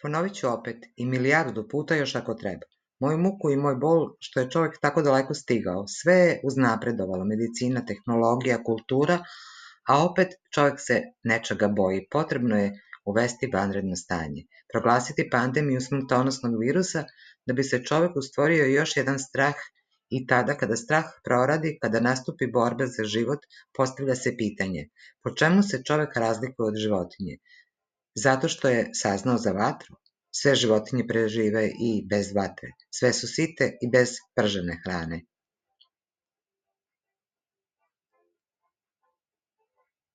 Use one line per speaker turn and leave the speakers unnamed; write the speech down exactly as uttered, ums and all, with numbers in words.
Ponovit ću opet i milijardu puta još ako treba. Moju muku i moj bol što je čovjek tako daleko stigao. Sve je uznapredovalo, medicina, tehnologija, kultura, a opet čovjek se nečega boji. Potrebno je uvesti vanredno stanje, proglasiti pandemiju smrtonosnog virusa da bi se čovjeku stvorio još jedan strah i tada kada strah proradi, kada nastupi borba za život, postavlja se pitanje po čemu se čovjek razlikuje od životinje? Zato što je saznao za vatru. Sve životinje prežive i bez vatre. Sve su site i bez pržene hrane.